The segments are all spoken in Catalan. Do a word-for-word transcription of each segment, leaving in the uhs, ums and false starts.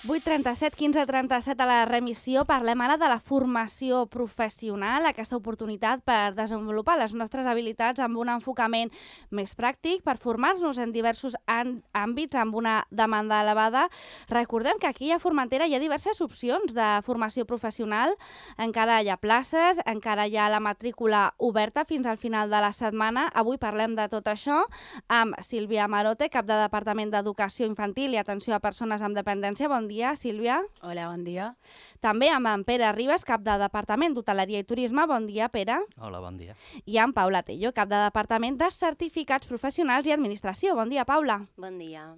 vuit trenta-set, quinze trenta-set a la remissió. Parlem ara de la formació professional, aquesta oportunitat per desenvolupar les nostres habilitats amb un enfocament més pràctic, per formar-nos en diversos àmbits amb una demanda elevada. Recordem que aquí a Formentera hi ha diverses opcions de formació professional, encara hi ha places, encara hi ha la matrícula oberta fins al final de la setmana. Avui parlem de tot això amb Sílvia Marote, cap de Departament d'Educació Infantil i Atenció a Persones amb Dependència. Bon Bon dia, Sílvia. Hola, bon dia. També amb en Pere Ribas, cap de Departament d'Hoteleria i Turisme. Bon dia, Pere. Hola, bon dia. I amb Paula Tello, cap de Departament de Certificats Professionals i Administració. Bon dia, Paula. Bon dia.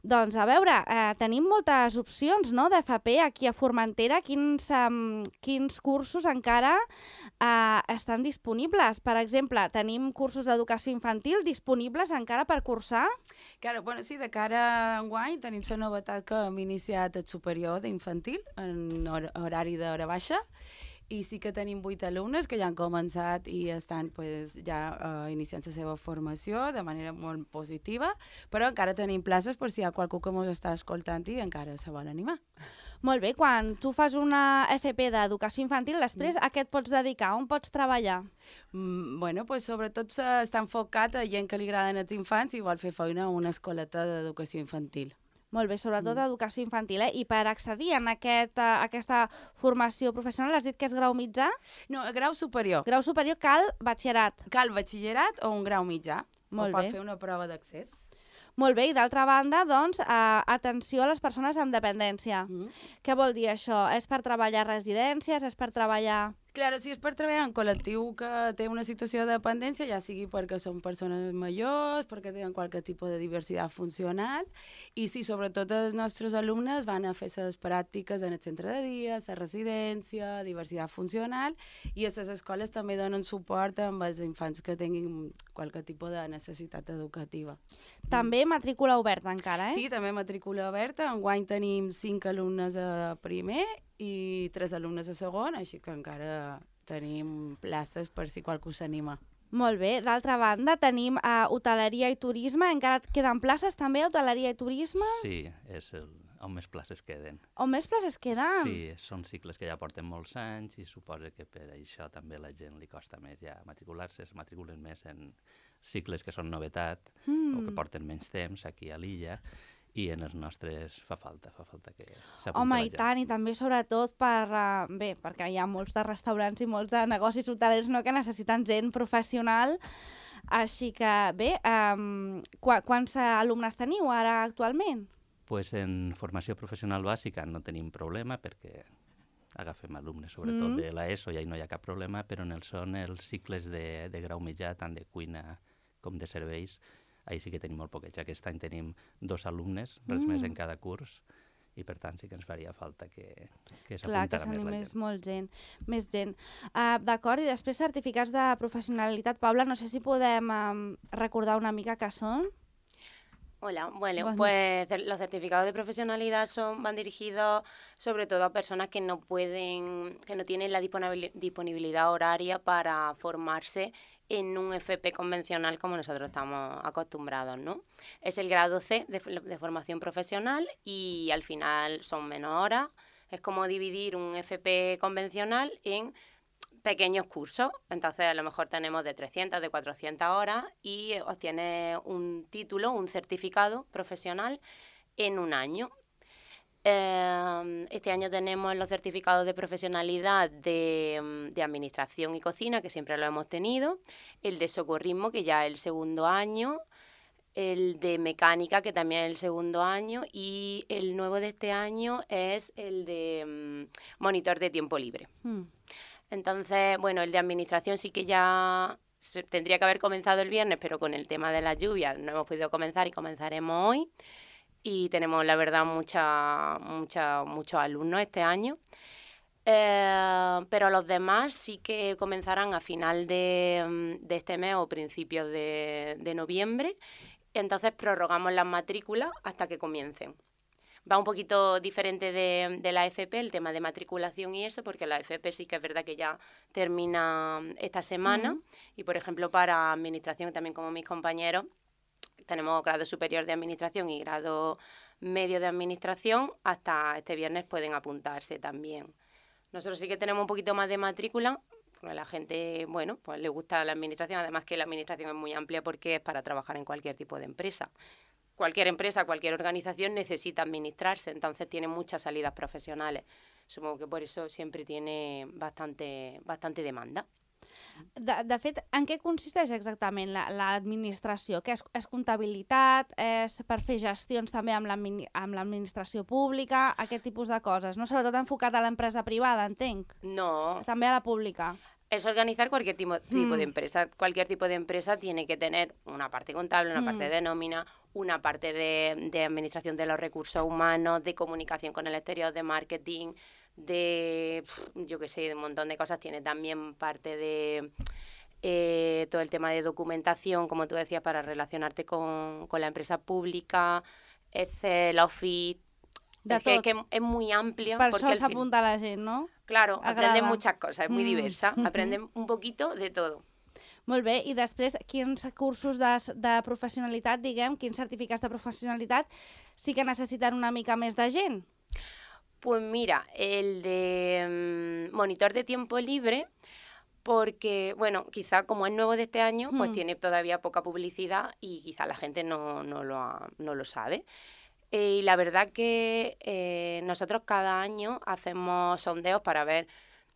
Doncs a veure, eh, tenim moltes opcions, no?, d'F P aquí a Formentera. Quins, um, quins cursos encara eh, estan disponibles? Per exemple, tenim cursos d'educació infantil disponibles encara per cursar? Claro, bueno, sí, de cara a enguany tenim la novetat que hem iniciat el superior d'infantil en hor horari d'hora baixa, i sí que tenim vuit alumnes que ja han començat i estan pues, ja uh, iniciant la seva formació de manera molt positiva, però encara tenim places per si hi ha qualcú que ens està escoltant i encara se vol animar. Molt bé, quan tu fas una F P d'educació infantil, després mm. a què et pots dedicar? On pots treballar? Mm, bueno, pues sobretot està enfocat a gent que li agraden els infants i vol fer feina a una escoleta d'educació infantil. Molt bé, sobretot mm. educació infantil, eh? I per accedir a aquest, a aquesta formació professional has dit que és grau mitjà? No, grau superior. Grau superior cal batxillerat. Cal batxillerat o un grau mitjà. Molt o bé. pot fer una prova d'accés. Molt bé, i d'altra banda, doncs, eh, atenció a les persones amb dependència. Mm. Què vol dir això? És per treballar a residències? És per treballar... Claro, si és per treballar en col·lectiu que té una situació de dependència, ja sigui perquè són persones majors, perquè tenen qualque tipus de diversitat funcional, i sí, sobretot els nostres alumnes van a fer les pràctiques en el centre de dia, la residència, diversitat funcional, i a les escoles també donen suport amb els infants que tinguin qualque tipus de necessitat educativa. També matrícula oberta encara, eh? Sí, també matrícula oberta. Enguany tenim cinc alumnes a primer i tres alumnes a segon, així que encara tenim places per si qualcú s'anima. Molt bé. D'altra banda, tenim uh, hoteleria i turisme. Encara et queden places també a hoteleria i turisme? Sí, és el, on més places queden. On més places queden? Sí, són cicles que ja porten molts anys i suposo que per això també la gent li costa més ja matricular-se, es matriculen més en cicles que són novetat mm. o que porten menys temps aquí a l'illa. I en els nostres fa falta, fa falta que s'apunti Home, la gent. i tant, i també sobretot per, uh, bé, perquè hi ha molts de restaurants i molts de negocis hotelers, no?, que necessiten gent professional, així que bé, um, qu quants alumnes teniu ara actualment? Pues en formació professional bàsica no tenim problema perquè agafem alumnes, sobretot mm. de l'ESO, i ahí no hi ha cap problema, però en el són els cicles de, de grau mitjà, tant de cuina com de serveis, ahí sí que tenim molt poquets. Aquest any tenim dos alumnes, res mm. més en cada curs, i per tant sí que ens faria falta que, que s'apuntara més la gent. Molt gent, més gent. Uh, D'acord, i després certificats de professionalitat. Paula, no sé si podem um, recordar una mica què són. Hola, bueno, pues los certificados de profesionalidad son, van dirigidos sobre todo a personas que no pueden, que no tienen la disponibilidad horaria para formarse en un F P convencional como nosotros estamos acostumbrados, ¿no? Es el grado C de, de formación profesional y al final son menos horas. Es como dividir un F P convencional en pequeños cursos, entonces a lo mejor tenemos de trescientas, de cuatrocientas horas y obtienes un título, un certificado profesional en un año. Eh, este año tenemos los certificados de profesionalidad de, de administración y cocina, que siempre lo hemos tenido, el de socorrismo, que ya es el segundo año, el de mecánica, que también es el segundo año, y el nuevo de este año es el de um, monitor de tiempo libre. Mm. Entonces, bueno, el de administración sí que ya tendría que haber comenzado el viernes, pero con el tema de las lluvias no hemos podido comenzar y comenzaremos hoy. Y tenemos, la verdad, mucha, mucha, muchos alumnos este año. Eh, pero los demás sí que comenzarán a final de, de este mes o principios de, de noviembre. Entonces prorrogamos las matrículas hasta que comiencen. Va un poquito diferente de, de la F P, el tema de matriculación y eso, porque la F P sí que es verdad que ya termina esta semana. Uh-huh. Y, por ejemplo, para administración, también como mis compañeros, tenemos grado superior de administración y grado medio de administración, hasta este viernes pueden apuntarse también. Nosotros sí que tenemos un poquito más de matrícula, porque a la gente, bueno, pues le gusta la administración, además que la administración es muy amplia porque es para trabajar en cualquier tipo de empresa. Cualquier empresa, cualquier organización necesita administrarse, entonces tiene muchas salidas profesionales. Supongo que por eso siempre tiene bastante, bastante demanda. De, de fet, en què consisteix exactament l'administració? La, Què és, és comptabilitat? És per fer gestions també amb l'administració pública? Aquest tipus de coses, no? Sobretot enfocat a l'empresa privada, entenc? No. També a la pública. Es organizar cualquier tipo, tipo mm. de empresa. Cualquier tipo de empresa tiene que tener una parte contable, una mm. parte de nómina, una parte de, de administración de los recursos humanos, de comunicación con el exterior, de marketing, de, yo qué sé, de un montón de cosas. Tiene también parte de eh, todo el tema de documentación, como tú decías, para relacionarte con, con la empresa pública, Excel, Office. De es que, que es muy amplia. Per això s'apunta la gent, no? Claro, Agrada. Aprenden muchas cosas, es muy mm. diversa, mm-hmm. aprenden un poquito de todo. Molt bé, i després, quins cursos de, de professionalitat, diguem, quins certificats de professionalitat sí que necessiten una mica més de gent? Pues mira, el de um, monitor de tiempo libre, porque, bueno, quizá como es nuevo de este año, mm. pues tiene todavía poca publicidad y quizá la gente no, no, lo, ha, no lo sabe. Eh, y la verdad que eh, nosotros cada año hacemos sondeos para ver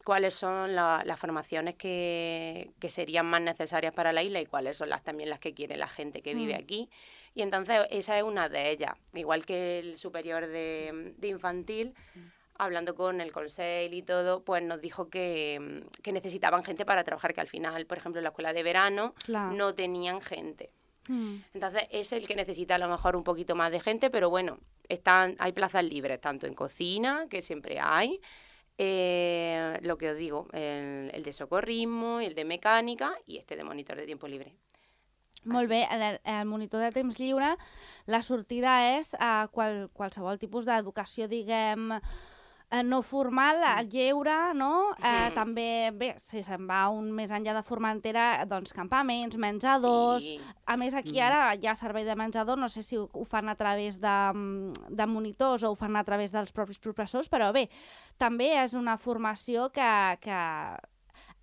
cuáles son la, las formaciones que, que serían más necesarias para la isla y cuáles son las también las que quiere la gente que vive mm. aquí. Y entonces esa es una de ellas. Igual que el superior de, de infantil, mm. hablando con el consejo y todo, pues nos dijo que, que necesitaban gente para trabajar, que al final, por ejemplo, en la escuela de verano claro. no tenían gente. Mm. Entonces es el que necesita a lo mejor un poquito más de gente, pero bueno, están, hay plazas libres, tanto en cocina, que siempre hay, eh, lo que os digo, el, el de socorrismo, el de mecànica i este de monitor de tiempo libre. Molt bé, el, el monitor de temps lliure, la sortida és a qual, qualsevol tipus d'educació, diguem, no formal, lleure, no? Mm. Eh, també, bé, si se'n va un més enllà de Formentera, doncs campaments, menjadors... Sí. A més, aquí ara hi ha servei de menjador, no sé si ho, ho fan a través de, de monitors o ho fan a través dels propis professors, però bé, també és una formació que... que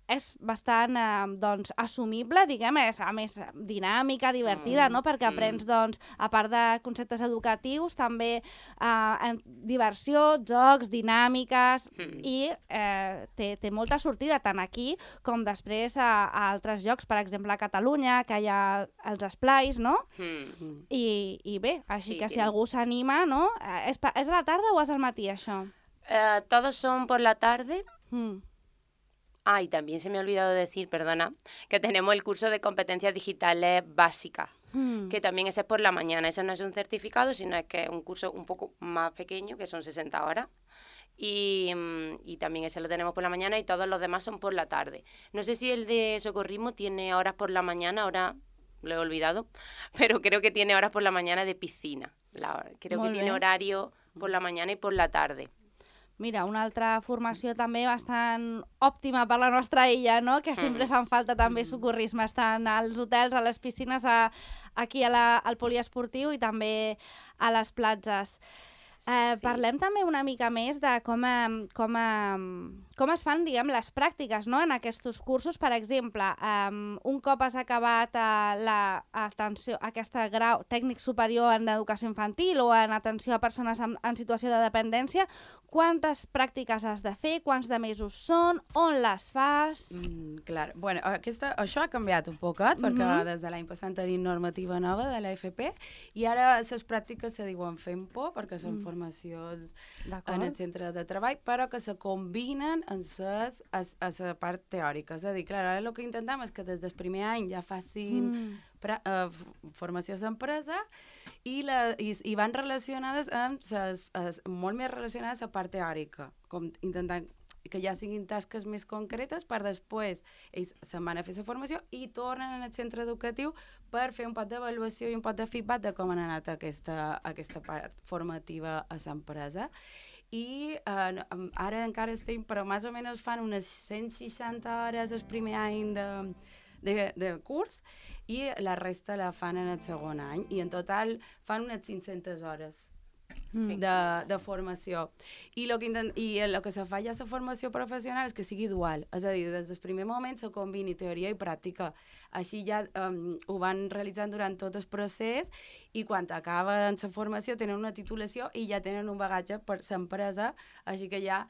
és bastant eh, doncs, assumible, diguem, és a més dinàmica, divertida, mm, no? Perquè aprens, mm. doncs, a part de conceptes educatius, també eh, diversió, jocs, dinàmiques, mm. i eh, té, té molta sortida, tant aquí com després a, a altres llocs, per exemple a Catalunya, que hi ha els esplais, no? Mm. I, I bé, així sí, que si que... algú s'anima, no? És, és a la tarda o és al matí, això? Uh, todos son por la tarde. Mm. Ah, y también se me ha olvidado decir, perdona, que tenemos el curso de competencias digitales básicas, mm. que también ese es por la mañana. Ese no es un certificado, sino es que es un curso un poco más pequeño, que son sesenta horas. Y, y también ese lo tenemos por la mañana y todos los demás son por la tarde. No sé si el de socorrismo tiene horas por la mañana, ahora lo he olvidado, pero creo que tiene horas por la mañana de piscina. La, creo Molt que bé. Tiene horario por la mañana y por la tarde. Mira, una altra formació també bastant òptima per la nostra illa, no? Que sempre fan falta també socorrisme. Estan als hotels, a les piscines, a, aquí a la, al poliesportiu i també a les platges. Eh, sí. Parlem també una mica més de com, com, com es fan, diguem, les pràctiques, no? En aquests cursos. Per exemple, um, un cop has acabat uh, la atenció, aquest grau tècnic superior en educació infantil o en atenció a persones en, en situació de dependència, quantes pràctiques has de fer, quants de mesos són, on les fas? Mm, clar, bueno, aquesta, això ha canviat un poquet, perquè mm-hmm. des de l'any passat tenim normativa nova de l'A F P i ara les pràctiques se diuen fent por, perquè són mm. formacions en el centre de treball, però que se combinen en ses, a, a la part teòrica. És a dir, clar, ara el que intentem és que des del primer any ja facin mm. pra, uh, formació d'empresa i, la, i, i van relacionades amb ses, ses, molt més relacionades a la part teòrica, com intentant que ja siguin tasques més concretes per després ells se'n van a fer la formació i tornen al centre educatiu per fer un pot d'avaluació i un pot de feedback de com han anat aquesta, aquesta part formativa a l'empresa. I eh, ara encara estem, però més o menys fan unes cent seixanta hores el primer any de, de, de curs i la resta la fan en el segon any i en total fan unes cinc-centes hores mm. de, de formació. I el que, intent, i el que se fa ja la formació professional és que sigui dual, és a dir, des del primer moment se combini teoria i pràctica. Així ja um, ho van realitzant durant tot el procés i quan acaben la formació tenen una titulació i ja tenen un bagatge per l'empresa, així que ja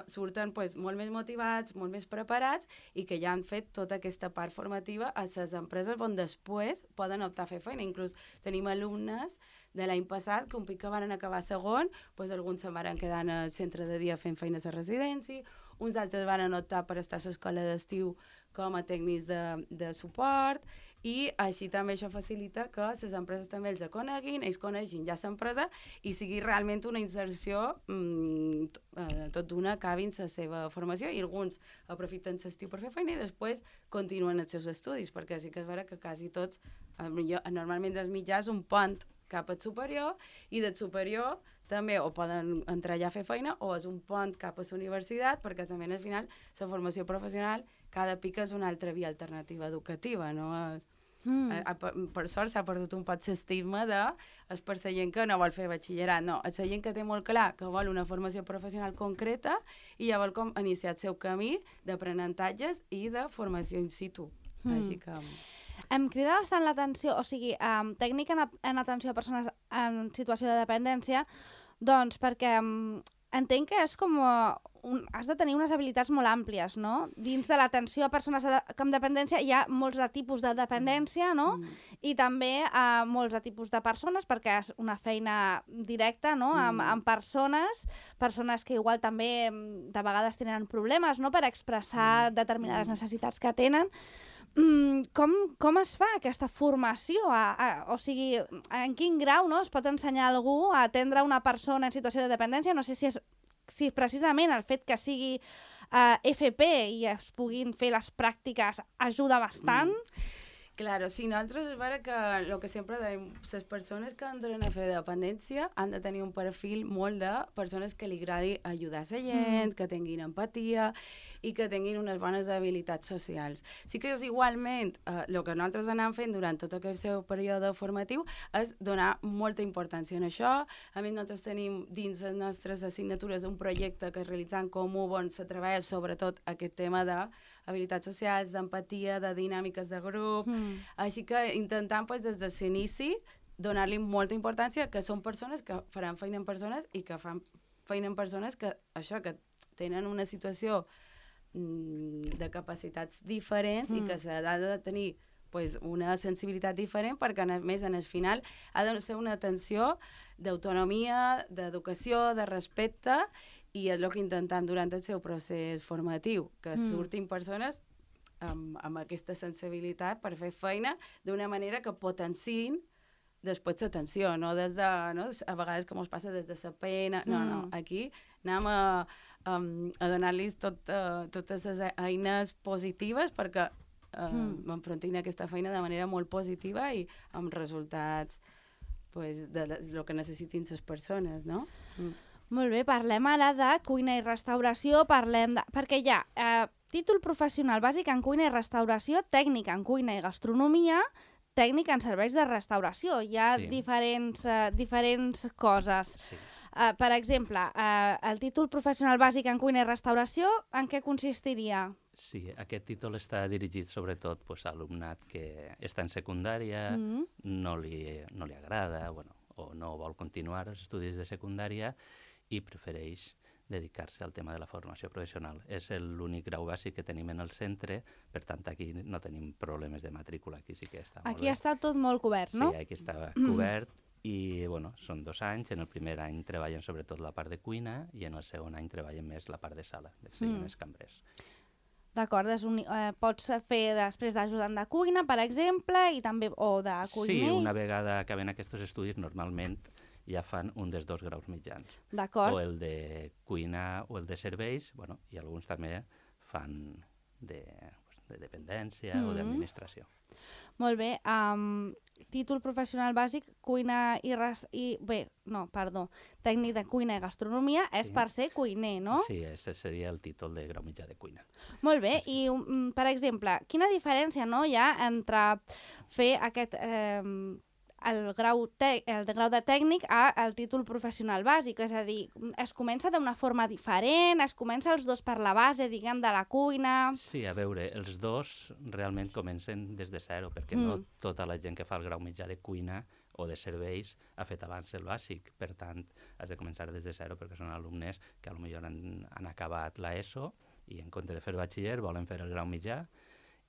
surten pues, molt més motivats, molt més preparats i que ja han fet tota aquesta part formativa a les empreses on després poden optar a fer feina. Inclús tenim alumnes de l'any passat que un pic que van acabar segon, pues, alguns se'n van quedar al centre de dia fent feines a residència, uns altres van optar per estar a l'escola d'estiu com a tècnics de, de suport i així també això facilita que les empreses també els coneguin, ells coneixin ja l'empresa i sigui realment una inserció mmm, tot d'una acabin la seva formació i alguns aprofiten l'estiu per fer feina i després continuen els seus estudis, perquè sí que és vera que quasi tots, millor, normalment els mitjans un pont cap al superior i del superior també o poden entrar allà a fer feina o és un pont cap a la universitat perquè també al final la formació professional cada pica és una altra via alternativa educativa, no? Mm. A, a, per sort s'ha perdut un poc l'estigma de és per la gent que no vol fer batxillerat, no, és la gent que té molt clar que vol una formació professional concreta i ja vol com iniciar el seu camí d'aprenentatges i de formació in situ. Mm. Així que... Em crida bastant l'atenció, o sigui, um, tècnica en, en atenció a persones en situació de dependència, doncs perquè um, entenc que és com... Uh, un, has de tenir unes habilitats molt àmplies, no? Dins de l'atenció a persones amb dependència hi ha molts de tipus de dependència, no? Mm. I també uh, molts de tipus de persones, perquè és una feina directa, no? Mm. Amb, amb persones, persones que igual també de vegades tenen problemes, no? Per expressar mm. determinades necessitats que tenen. Mm, com, com es fa aquesta formació? A, a, o sigui, en quin grau, no, es pot ensenyar a algú a atendre una persona en situació de dependència? No sé si és si precisament el fet que sigui uh, F P i es puguin fer les pràctiques ajuda bastant. Mm. Claro, sí, nosaltres és vera que el que sempre dèiem, les persones que entren a fer dependència han de tenir un perfil molt de persones que li agradi ajudar a la gent, mm. que tinguin empatia i que tinguin unes bones habilitats socials. Sí que és igualment eh, el que nosaltres anem fent durant tot aquest seu període formatiu és donar molta importància en això. A més, nosaltres tenim dins les nostres assignatures un projecte que realitzant comú on se treballa sobretot aquest tema de habilitats socials, d'empatia, de dinàmiques de grup, mm. així que intentant pues, des de l'inici donar-li molta importància que són persones que faran feina en persones i que fan feina en persones que això, que tenen una situació mm, de capacitats diferents mm. i que s'ha de tenir pues, una sensibilitat diferent perquè a més en el final ha de ser una atenció d'autonomia, d'educació, de respecte i és el que intentem durant el seu procés formatiu, que mm. surtin persones amb, amb aquesta sensibilitat per fer feina d'una manera que potenciïn després l'atenció, no des de, no? A vegades com es passa des de la pena, no, mm. no, aquí anem a, a, a donar-los tot, uh, totes les eines positives perquè uh, mm. enfrontin aquesta feina de manera molt positiva i amb resultats pues, de lo que necessitin les persones, no? Mm. Molt bé, parlem ara de cuina i restauració, parlem de... perquè hi ha eh, títol professional bàsic en cuina i restauració, tècnica en cuina i gastronomia, tècnica en serveis de restauració. Hi ha sí. diferents, eh, diferents coses. Sí. Eh, per exemple, eh, el títol professional bàsic en cuina i restauració, en què consistiria? Sí, aquest títol està dirigit sobretot pues, a alumnat que està en secundària, mm-hmm. no, li, no li agrada, bueno, o no vol continuar els estudis de secundària, i prefereix dedicar-se al tema de la formació professional. És l'únic grau bàsic que tenim en el centre, per tant, aquí no tenim problemes de matrícula, aquí sí que està molt aquí bé. està tot molt cobert, no? Sí, aquí està cobert, i bueno, són dos anys, en el primer any treballen sobretot la part de cuina, i en el segon any treballen més la part de sala, de ser mm. més cambrers. D'acord, eh, pots fer després d'ajudant de cuina, per exemple, i també, o de cuiner? Sí, una vegada acaben aquests estudis, normalment ja fan un dels dos graus mitjans. D'acord. O el de cuina o el de serveis, bueno, i alguns també fan de, de dependència mm. o d'administració. Molt bé. Um, títol professional bàsic, cuina i, res, i... Bé, no, perdó. Tècnic de cuina i gastronomia és sí. per ser cuiner, no? Sí, ese seria el títol de grau mitjà de cuina. Molt bé. I, um, per exemple, quina diferència no, hi ha entre fer aquest... Eh, el grau, te el grau de tècnic al títol professional bàsic, és a dir, es comença d'una forma diferent, es comença els dos per la base, diguem, de la cuina... Sí, a veure, els dos realment comencen des de zero, perquè mm. no tota la gent que fa el grau mitjà de cuina o de serveis ha fet abans el bàsic. Per tant, has de començar des de zero perquè són alumnes que potser han, han acabat l'ESO i en compte de fer batxiller volen fer el grau mitjà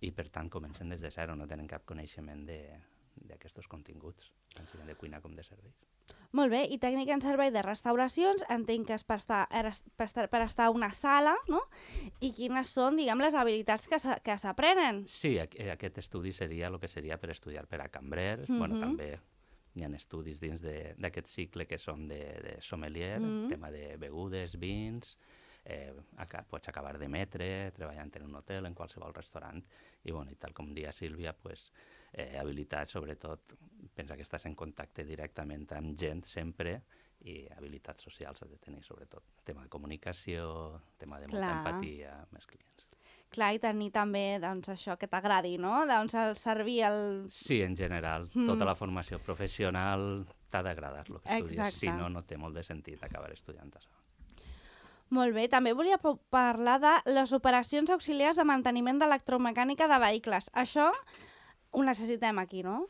i per tant comencen des de zero, no tenen cap coneixement d'aquests continguts, tant siguin de cuina com de serveis. Molt bé, i tècnica en servei de restauracions, entenc que és per estar, per estar, per estar a una sala, no? I quines són, diguem, les habilitats que s'aprenen? Sí, aquest estudi seria el que seria per estudiar per a cambrers, mm-hmm. bueno, també hi ha estudis dins d'aquest cicle que són de, de sommelier, mm-hmm. tema de begudes, vins, eh, acá, pots acabar d'emetre, treballant en un hotel, en qualsevol restaurant, i, bueno, i tal com dia Sílvia, pues, eh, habilitats, sobretot, pensa que estàs en contacte directament amb gent sempre, i habilitats socials has de tenir, sobretot, tema de comunicació, tema de molta Clar. empatia amb els clients. Clar, i tenir també, doncs, això que t'agradi, no? Doncs el servir el... Sí, en general, mm. tota la formació professional t'ha d'agradar el que estudies, Exacte. Si no, no té molt de sentit acabar estudiant això. Molt bé, també volia parlar de les operacions auxiliars de manteniment d'electromecànica de vehicles. Això ho necessitem aquí, no?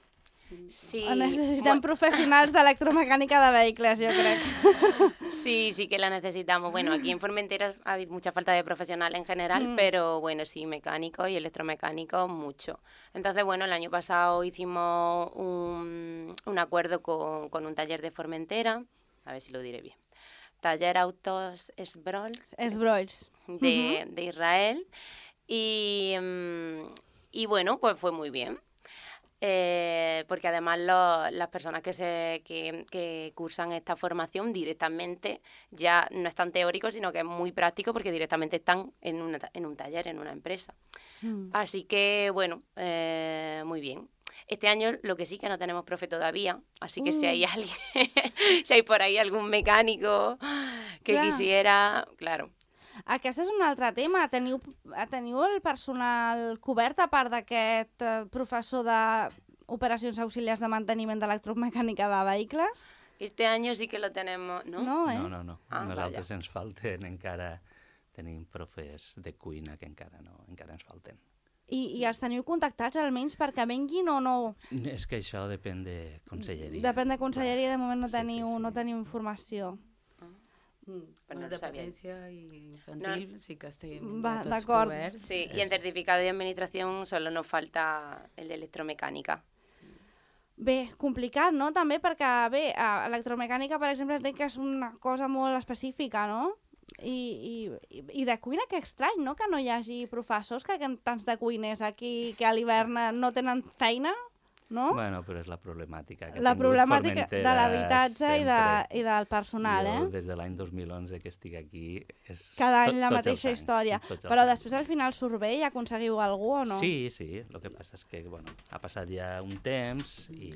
Sí. Necesitem profesionals d'electromecánica de vehículos, yo creo. Sí, sí que la necesitamos. Bueno, aquí en Formentera hay mucha falta de profesional en general, mm. pero bueno, sí, mecánicos y electromecánicos mucho. Entonces, bueno, el año pasado hicimos un, un acuerdo con, con un taller de Formentera, a ver si lo diré bien. Taller Autos Esbrol. Esbrols. De, uh-huh. de Israel. Y, y bueno, pues fue muy bien. Eh, porque además lo, las personas que, se, que, que cursan esta formación directamente ya no es tan teórico, sino que es muy práctico porque directamente están en, una, en un taller, en una empresa. Mm. Así que, bueno, eh, muy bien. Este año lo que sí que no tenemos profe todavía, así que mm. si hay alguien, si hay por ahí algún mecánico que Clar. quisiera, claro. Aquest és un altre tema. Teniu, teniu el personal cobert a part d'aquest professor d'operacions auxiliars de manteniment d'electromecànica de vehicles? Este año sí que lo tenemos, ¿no? No, eh? no, no. no. Ah, Nosaltres vaya. ens falten encara, tenim profes de cuina que encara no, encara ens falten. I, I els teniu contactats almenys perquè venguin o no? És que això depèn de conselleria. Depèn de conselleria, de moment no teniu, sí, sí, sí. no teniu informació. Mm, per no dependència infantil no. sí que estem Va, tots coberts. Sí, y en certificado de administración solo nos falta el de electromecánica. Bé, complicat, no? També perquè, bé, electromecànica, per exemple, entenc que és una cosa molt específica, no? I, i, i de cuina, que estrany, no? Que no hi hagi professors, que tants de cuiners aquí que a l'hivern no tenen feina, no? Bueno, però és la problemàtica que la ha tingut problemàtica Formentera de l'habitatge i, de, i del personal, jo, eh? des de l'any dos mil onze que estic aquí... És Cada any tot, la mateixa anys, història. Però anys. Després al final surt bé i aconseguiu algú o no? Sí, sí. El que passa és que bueno, ha passat ja un temps i,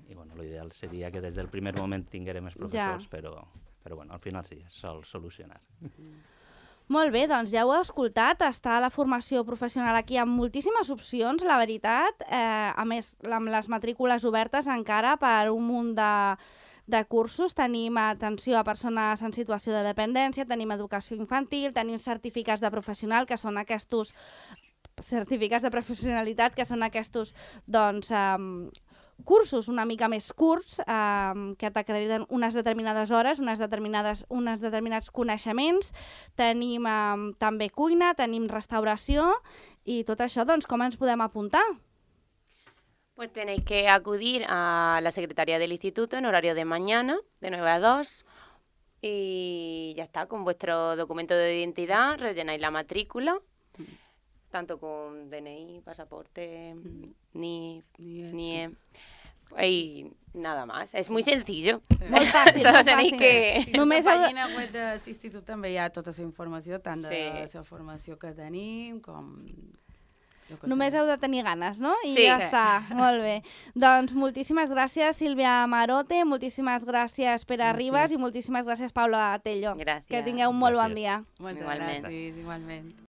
i bueno, l'ideal seria que des del primer moment tinguérem els professors, ja. però, però bueno, al final sí, es sol solucionar. Molt bé, doncs ja ho heu escoltat, està la formació professional aquí amb moltíssimes opcions, la veritat, eh, a més, amb les matrícules obertes encara per un munt de, de cursos, tenim atenció a persones en situació de dependència, tenim educació infantil, tenim certificats de professional, que són aquests certificats de professionalitat, que són aquests, doncs, eh, cursos una mica més curts eh, que t'acrediten unes determinades hores, unes determinades, unes determinats coneixements. Tenim eh, també cuina, tenim restauració i tot això, doncs, com ens podem apuntar? Pues tenéis que acudir a la Secretaría del Instituto en horario de mañana, de nueve a dos, y ya está, con vuestro documento de identidad rellenáis la matrícula, tanto con D N I, pasaporte, mm. ni, ni, ni sí. Y nada más. Es muy sencillo. Sí. Molt fàcil, Solo molt tenéis fàcil. que... Sí. En la pàgina web de l'Institut també hi ha tota la informació, tant de sí. la formació que tenim com... Només heu de tenir ganes, no? I sí. ja està, molt bé. Doncs moltíssimes gràcies, Sílvia Marote, moltíssimes gràcies, Pere gràcies. Ribas, i moltíssimes gràcies, Paula Tello. Gràcies. Que tingueu un molt gràcies. bon dia. Moltes igualment. gràcies, igualment.